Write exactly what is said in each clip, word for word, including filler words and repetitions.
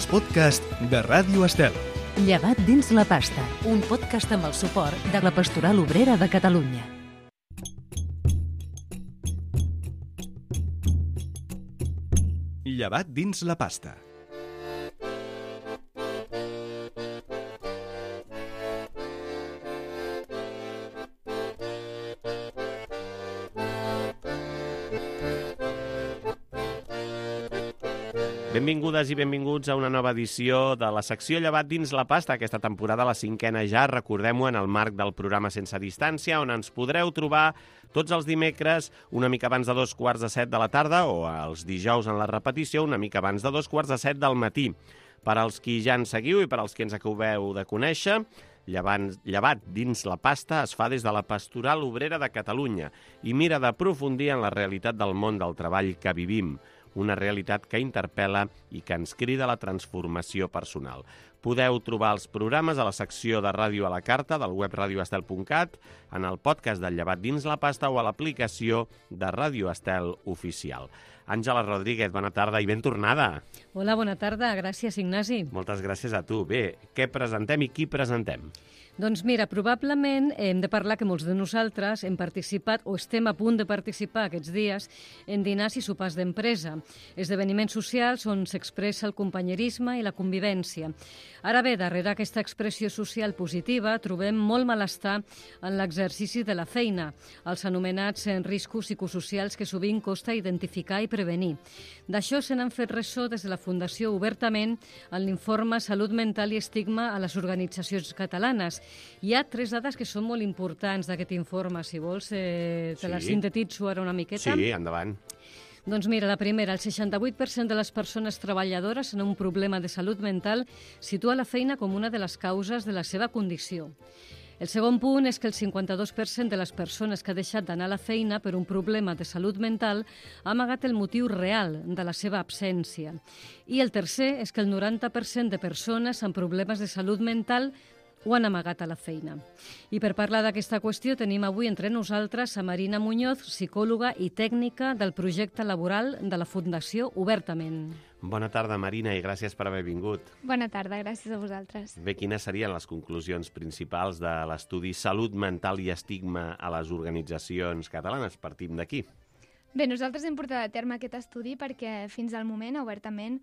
els podcasts de Ràdio Estel. Llevat dins la pasta, un podcast amb el suport de la Pastoral Obrera de Catalunya. Llevat dins la pasta. Benvingudes i benvinguts a una nova edició de la secció Llevat dins la pasta, aquesta temporada, la cinquena ja, recordem-ho, en el marc del programa Sense Distància, on ens podreu trobar tots els dimecres una mica abans de dos quarts de set de la tarda o els dijous en la repetició una mica abans de dos quarts de set del matí. Per als qui ja ens seguiu i per als qui ens acabeu de conèixer, Llevat, llevat dins la pasta es fa des de la Pastoral Obrera de Catalunya i mira d'aprofundir en la realitat del món del treball que vivim, una realitat que interpel·la i que ens crida a la transformació personal. Podeu trobar els programes a la secció de Ràdio a la Carta del web radio estel punt cat, en el podcast del Llevat dins la pasta o a l'aplicació de Ràdio Estel Oficial. Àngela Rodríguez, bona tarda i ben tornada. Hola, bona tarda. Gràcies, Ignasi. Moltes gràcies a tu. Bé, què presentem i qui presentem? Doncs mira, probablement hem de parlar que molts de nosaltres hem participat o estem a punt de participar aquests dies en dinars i sopars d'empresa, esdeveniments socials on s'expressa el companyerisme i la convivència. Ara bé, darrere aquesta expressió social positiva trobem molt malestar en l'exercici de la feina, els anomenats riscos psicosocials que sovint costa identificar i prevenir. D'això se n'han fet ressò des de la Fundació obertament en l'informe Salut mental i estigma a les organitzacions catalanes. Hi ha tres dades que són molt importants d'aquest informe. Si vols, eh, te sí. les sintetitzo ara una miqueta. Sí, endavant. Doncs mira, la primera, el seixanta-vuit per cent de les persones treballadores en un problema de salut mental situa la feina com una de les causes de la seva condició. El segon punt és que el cinquanta-dos per cent de les persones que ha deixat d'anar a la feina per un problema de salut mental ha amagat el motiu real de la seva absència. I el tercer és que el noranta per cent de persones amb problemes de salut mental ho han amagat a la feina. I per parlar d'aquesta qüestió tenim avui entre nosaltres a Marina Muñoz, psicòloga i tècnica del projecte laboral de la Fundació Obertament. Bona tarda, Marina, i gràcies per haver vingut. Bona tarda, gràcies a vosaltres. Bé, quines serien les conclusions principals de l'estudi Salut mental i estigma a les organitzacions catalanes? Partim d'aquí. Bé, nosaltres hem portat a terme aquest estudi perquè fins al moment, obertament,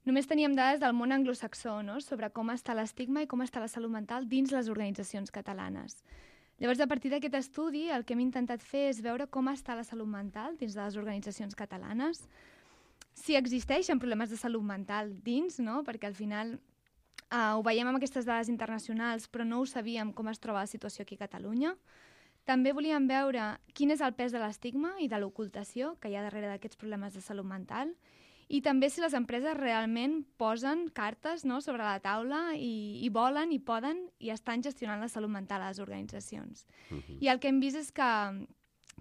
només teníem dades del món anglosaxó, no?, sobre com està l'estigma i com està la salut mental dins les organitzacions catalanes. Llavors, a partir d'aquest estudi, el que hem intentat fer és veure com està la salut mental dins de les organitzacions catalanes, si existeixen problemes de salut mental dins, no?, perquè al final eh, ho veiem amb aquestes dades internacionals, però no ho sabíem com es troba la situació aquí a Catalunya. També volíem veure quin és el pes de l'estigma i de l'ocultació que hi ha darrere d'aquests problemes de salut mental, i també si les empreses realment posen cartes, no?, sobre la taula i, i volen i poden i estan gestionant la salut mental a les organitzacions. Uh-huh. I el que hem vist és que,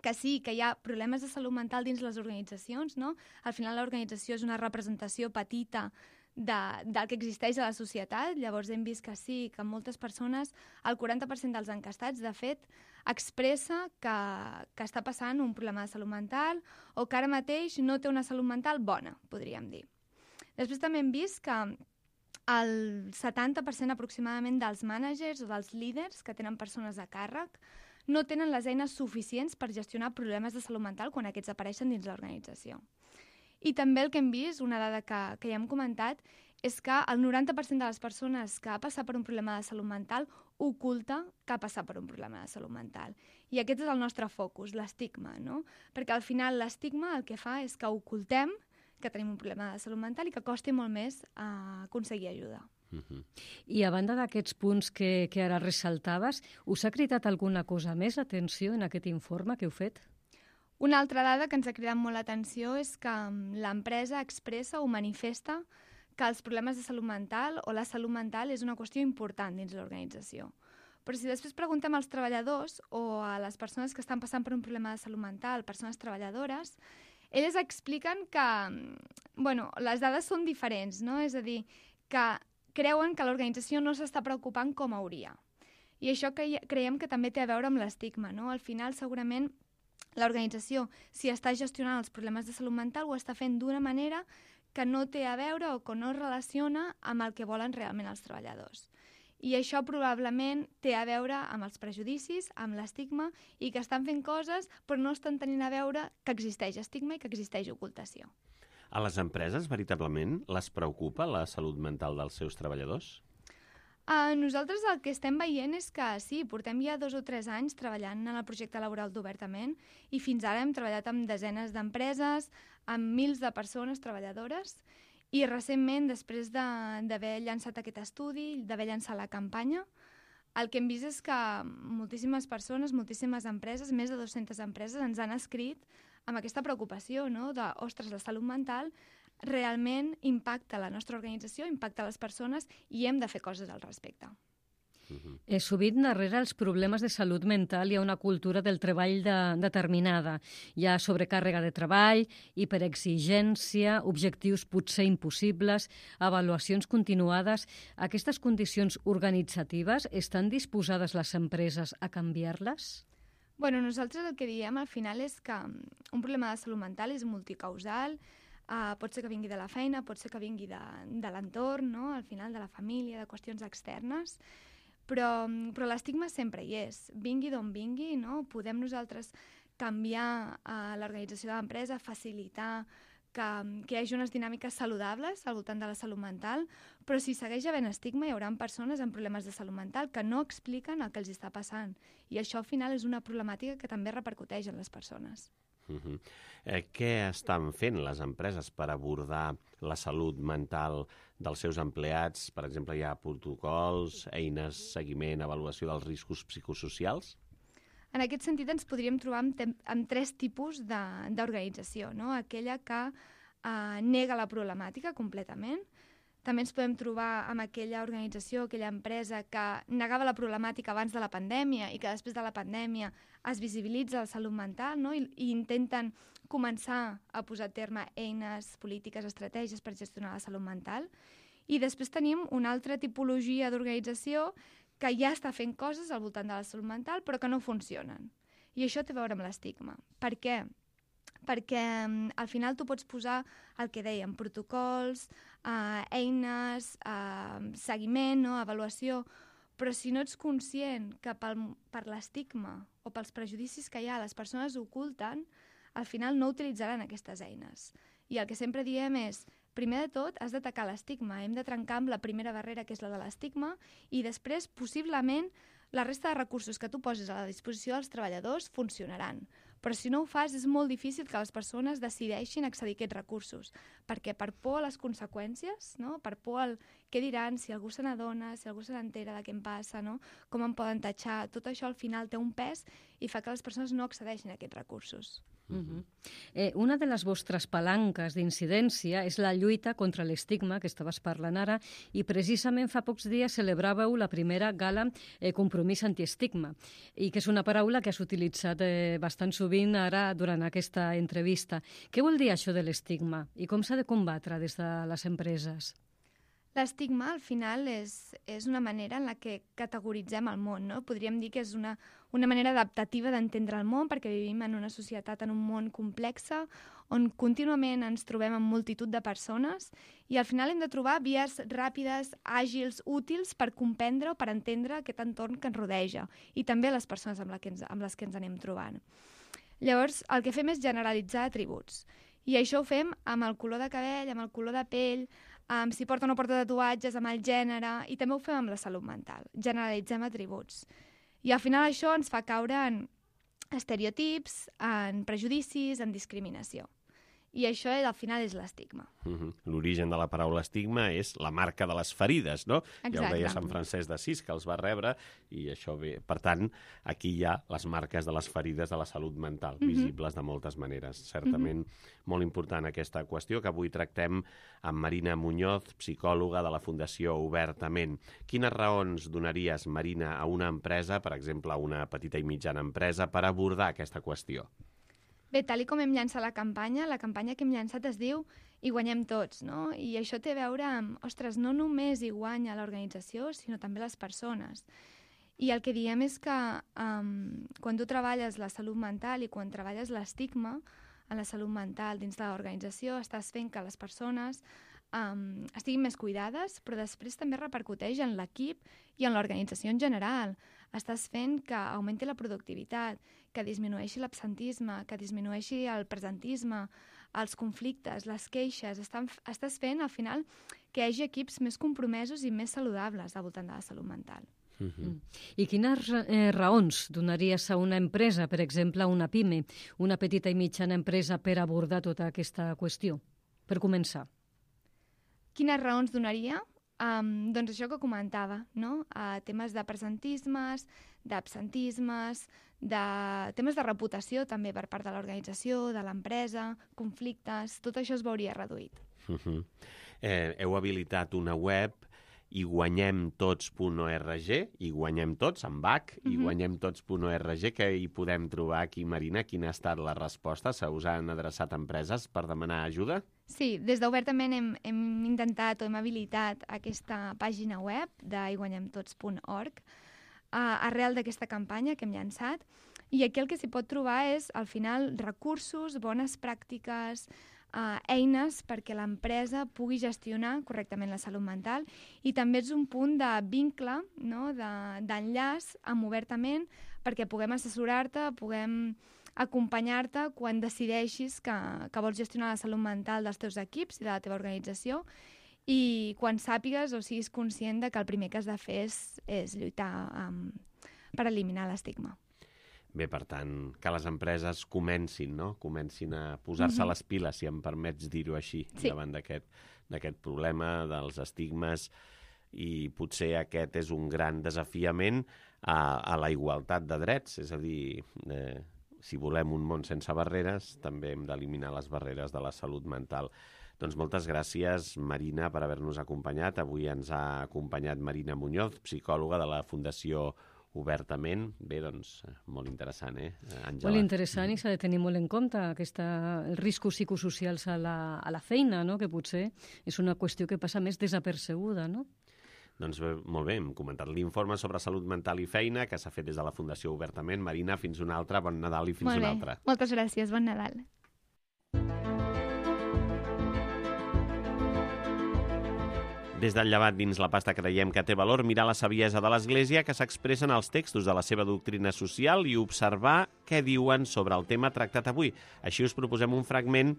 que sí, que hi ha problemes de salut mental dins les organitzacions, no? Al final l'organització és una representació petita de, del que existeix a la societat. Llavors hem vist que sí, que moltes persones, el quaranta per cent dels encastats, de fet, expressa que, que està passant un problema de salut mental o que ara mateix no té una salut mental bona, podríem dir. Després també hem vist que el setanta per cent aproximadament dels mànagers o dels líders que tenen persones a càrrec no tenen les eines suficients per gestionar problemes de salut mental quan aquests apareixen dins l'organització. I també el que hem vist, una dada que, que ja hem comentat, és que el noranta per cent de les persones que ha passat per un problema de salut mental oculta que ha passat per un problema de salut mental. I aquest és el nostre focus, l'estigma, no? Perquè al final l'estigma el que fa és que ocultem que tenim un problema de salut mental i que costi molt més uh, aconseguir ajuda. Uh-huh. I a banda d'aquests punts que, que ara ressaltaves, us ha cridat alguna cosa més l'atenció en aquest informe que heu fet? Una altra dada que ens ha cridat molt l'atenció és que l'empresa expressa o manifesta que els problemes de salut mental o la salut mental és una qüestió important dins l'organització. Però si després preguntem als treballadors o a les persones que estan passant per un problema de salut mental, persones treballadores, elles expliquen que bueno, les dades són diferents, no? És a dir, que creuen que l'organització no s'està preocupant com hauria. I això que creiem que també té a veure amb l'estigma, no? Al final, segurament, l'organització, si està gestionant els problemes de salut mental, ho està fent d'una manera que no té a veure o que no es relaciona amb el que volen realment els treballadors. I això probablement té a veure amb els prejudicis, amb l'estigma, i que estan fent coses però no estan tenint a veure que existeix estigma i que existeix ocultació. A les empreses, veritablement, les preocupa la salut mental dels seus treballadors? Uh, nosaltres el que estem veient és que sí, portem ja dos o tres anys treballant en el projecte laboral d'Obertament i fins ara hem treballat amb desenes d'empreses, amb mils de persones treballadores i recentment, després d'haver de, llançat aquest estudi, d'haver llançat la campanya, el que hem vist és que moltíssimes persones, moltíssimes empreses, més de dues-centes empreses, ens han escrit amb aquesta preocupació, no? de, ostres, la salut mental realment impacta la nostra organització, impacta les persones i hem de fer coses al respecte. Uh-huh. Eh, sovint darrere els problemes de salut mental hi ha una cultura del treball de, determinada. Hi ha sobrecàrrega de treball, hiperexigència, objectius potser impossibles, avaluacions continuades. Aquestes condicions organitzatives estan disposades les empreses a canviar-les? Bueno, nosaltres el que diem al final és que un problema de salut mental és multicausal. Uh, pot ser que vingui de la feina, pot ser que vingui de, de l'entorn, no? Al final de la família, de qüestions externes, però, però l'estigma sempre hi és. Vingui d'on vingui, no? Podem nosaltres canviar uh, l'organització de l'empresa, facilitar que, que hi hagi unes dinàmiques saludables al voltant de la salut mental, però si segueix havent estigma hi haurà persones amb problemes de salut mental que no expliquen el que els està passant. I això al final és una problemàtica que també repercuteix en les persones. Uh-huh. eh, què estan fent les empreses per abordar la salut mental dels seus empleats? Per exemple, hi ha protocols, eines, seguiment, avaluació dels riscos psicosocials? En aquest sentit ens podríem trobar amb, amb tres tipus d'organització, no? Aquella que eh, nega la problemàtica completament. També ens podem trobar amb aquella organització, aquella empresa que negava la problemàtica abans de la pandèmia i que després de la pandèmia es visibilitza la salut mental, no? I, i intenten començar a posar a terme eines, polítiques, estratègies per gestionar la salut mental. I després tenim una altra tipologia d'organització que ja està fent coses al voltant de la salut mental però que no funcionen. I això té a veure amb l'estigma. Per què? Perquè al final tu pots posar el que dèiem, protocols, eh, eines, eh, seguiment, no? Avaluació, però si no ets conscient que pel, per l'estigma o pels prejudicis que hi ha les persones oculten, al final no utilitzaran aquestes eines. I el que sempre diem és, primer de tot, has d'atacar l'estigma, hem de trencar amb la primera barrera, que és la de l'estigma, i després, possiblement, la resta de recursos que tu poses a la disposició dels treballadors funcionaran. Però si no ho fas, és molt difícil que les persones decideixin accedir a aquests recursos, perquè per por a les conseqüències, no? Per por al què diran, si algú se n'adona, si algú se n'entera de què em passa, no? Com em poden tatxar, tot això al final té un pes i fa que les persones no accedeixin a aquests recursos. Uh-huh. eh, una de les vostres palanques d'incidència és la lluita contra l'estigma, que estaves parlant ara, i precisament fa pocs dies celebràveu la primera gala eh, Compromís Antiestigma, i que és una paraula que has utilitzat eh, bastant sovint ara durant aquesta entrevista. Què vol dir això de l'estigma i com s'ha de combatre des de les empreses? L'estigma, al final, és, és una manera en la que categoritzem el món, no? Podríem dir que és una, una manera adaptativa d'entendre el món, perquè vivim en una societat, en un món complex, on contínuament ens trobem amb multitud de persones i al final hem de trobar vies ràpides, àgils, útils per comprendre o per entendre aquest entorn que ens rodeja i també les persones amb, la que ens, amb les que ens anem trobant. Llavors, el que fem és generalitzar atributs. I això ho fem amb el color de cabell, amb el color de pell, amb si porta o no porta tatuatges, amb el gènere, i també ho fem amb la salut mental. Generalitzem atributs. I al final això ens fa caure en estereotips, en prejudicis, en discriminació. I això, al final, és l'estigma. Uh-huh. L'origen de la paraula estigma és la marca de les ferides, no? Exacte. Ja ho deia Sant Francesc d'Assís, que els va rebre, i això ve... Per tant, aquí hi ha les marques de les ferides de la salut mental, uh-huh. visibles de moltes maneres. Certament uh-huh. molt important aquesta qüestió, que avui tractem amb Marina Muñoz, psicòloga de la Fundació Obertament. Quines raons donaries, Marina, a una empresa, per exemple, a una petita i mitjana empresa, per abordar aquesta qüestió? Bé, tal com hem llançat la campanya, la campanya que hem llançat es diu Hi guanyem tots, no? I això té a veure amb, ostres, no només hi guanya l'organització, sinó també les persones. I el que diem és que um, quan tu treballes la salut mental i quan treballes l'estigma, en la salut mental dins de l'organització, estàs fent que les persones um, estiguin més cuidades, però després també repercuteix en l'equip i en l'organització en general. Estàs fent que augmenti la productivitat, que disminueixi l'absentisme, que disminueixi el presentisme, els conflictes, les queixes. Estan, estàs fent, al final, que hi hagi equips més compromesos i més saludables al voltant de la salut mental. Uh-huh. I quines eh, raons donaries a una empresa, per exemple, a una PIME, una petita i mitjana empresa, per abordar tota aquesta qüestió? Per començar. Quines raons donaria? Um, doncs això que comentava, no? Uh, temes de presentismes, d'absentismes, de temes de reputació també per part de l'organització, de l'empresa, conflictes, tot això es veuria reduït. Uh-huh. eh, heu habilitat una web i guanyem tots punt org, i guanyem tots, amb H, i Mhm. guanyem tots punt org, que hi podem trobar aquí, Marina, quina ha estat la resposta? Se us han adreçat empreses per demanar ajuda? Sí, des d'Obertament hem, hem intentat o hem habilitat aquesta pàgina web de i guanyem tots punt org uh, arrel d'aquesta campanya que hem llançat, i aquí el que s'hi pot trobar és, al final, recursos, bones pràctiques, Uh, eines perquè l'empresa pugui gestionar correctament la salut mental, i també és un punt de vincle, no? de, d'enllaç amb Obertament, perquè puguem assessorar-te, puguem acompanyar-te quan decideixis que, que vols gestionar la salut mental dels teus equips i de la teva organització, i quan sàpigues o siguis conscient de que el primer que has de fer és, és lluitar um, per eliminar l'estigma. Bé, per tant, que les empreses comencin, no? Comencin a posar-se Mhm. les piles, si em permets dir-ho així, Sí. davant d'aquest d'aquest problema dels estigmes, i potser aquest és un gran desafiament a, a la igualtat de drets, és a dir, eh, si volem un món sense barreres, també hem d'eliminar les barreres de la salut mental. Doncs moltes gràcies, Marina, per haver-nos acompanyat. Avui ens ha acompanyat Marina Muñoz, psicòloga de la Fundació Obertament. Bé, doncs, molt interessant, eh, Àngela? Molt interessant, i s'ha de tenir molt en compte aquesta, els riscos psicosocials a la, a la feina, no? Que potser és una qüestió que passa més desapercebuda, no? Doncs bé, molt bé, hem comentat l'informe sobre salut mental i feina que s'ha fet des de la Fundació Obertament. Marina, fins una altra, bon Nadal i fins Molt una bé. altra. Moltes gràcies, bon Nadal. Des del Llevat dins la pasta creiem que té valor mirar la saviesa de l'Església que s'expressa en els textos de la seva doctrina social i observar què diuen sobre el tema tractat avui. Així us proposem un fragment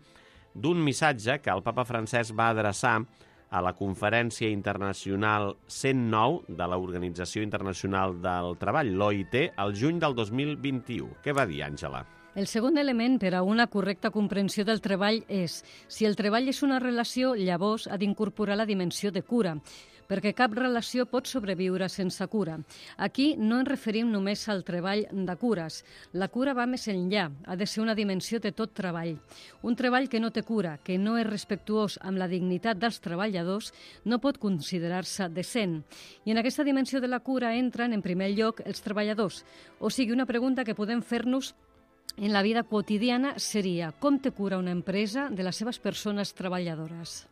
d'un missatge que el papa Francesc va adreçar a la Conferència Internacional cent nou de l'Organització Internacional del Treball, l'O I T, al juny del dos mil vint-i-u. Què va dir, Àngela? El segon element per a una correcta comprensió del treball és, si el treball és una relació, llavors ha d'incorporar la dimensió de cura, perquè cap relació pot sobreviure sense cura. Aquí no ens referim només al treball de cures. La cura va més enllà, ha de ser una dimensió de tot treball. Un treball que no té cura, que no és respectuós amb la dignitat dels treballadors, no pot considerar-se decent. I en aquesta dimensió de la cura entren, en primer lloc, els treballadors. O sigui, una pregunta que podem fer-nos en la vida quotidiana seria: com té cura una empresa de les seves persones treballadores?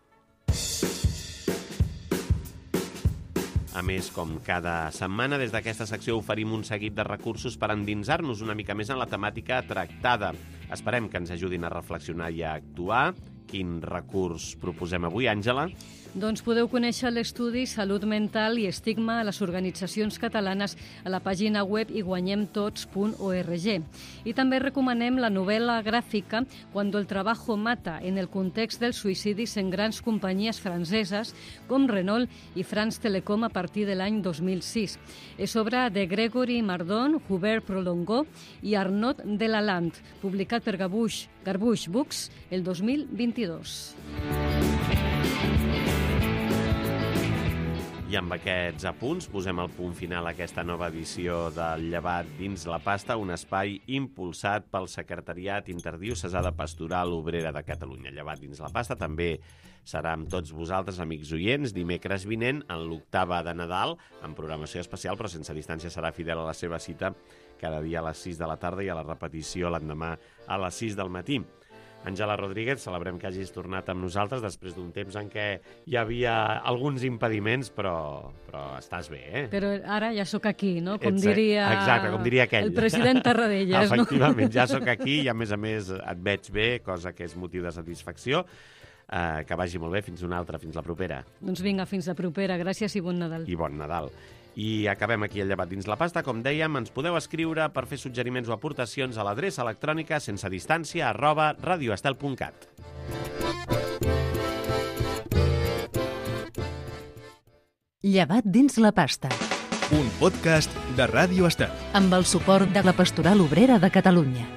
A més, com cada setmana, des d'aquesta secció oferim un seguit de recursos per endinsar-nos una mica més en la temàtica tractada. Esperem que ens ajudin a reflexionar i a actuar. Quin recurs proposem avui, Àngela? Doncs podeu conèixer l'estudi Salut mental i estigma a les organitzacions catalanes a la pàgina web i guanyem tots punt org. I també recomanem la novel·la gràfica Cuando el trabajo mata, en el context dels suïcidis en grans companyies franceses com Renault i France Telecom a partir de l'any dos mil sis. És obra de Gregory Mardon, Hubert Prolongó i Arnaud Delalande, publicat per Garbouche, Garbouche Books el dos mil vint-i-dos. I amb aquests apunts posem el punt final a aquesta nova edició del Llevat dins la pasta, un espai impulsat pel Secretariat Interdiocesà de Pastoral Obrera de Catalunya. Llevat dins la pasta també serà amb tots vosaltres, amics oients, dimecres vinent, en l'octava de Nadal, amb programació especial, però sense distància, serà fidel a la seva cita cada dia a les sis de la tarda i a la repetició l'endemà a les sis del matí. Àngela Rodríguez, celebrem que hagis tornat amb nosaltres després d'un temps en què hi havia alguns impediments, però, però estàs bé, eh? Però ara ja sóc aquí, no? Com Ets, diria, exacte, com diria aquell. el president Tarradellas, no? Efectivament, ja sóc aquí i a més a més et veig bé, cosa que és motiu de satisfacció. Uh, que vagi molt bé, fins una altra, fins la propera. Doncs vinga, fins la propera. Gràcies i bon Nadal. I bon Nadal. I acabem aquí el llevat dins la pasta. Com dèiem, ens podeu escriure per fer suggeriments o aportacions a l'adreça electrònica sense distància arroba radioestel punt cat. Llevat dins la pasta. Un podcast de Ràdio Estel. Amb el suport de la Pastoral Obrera de Catalunya.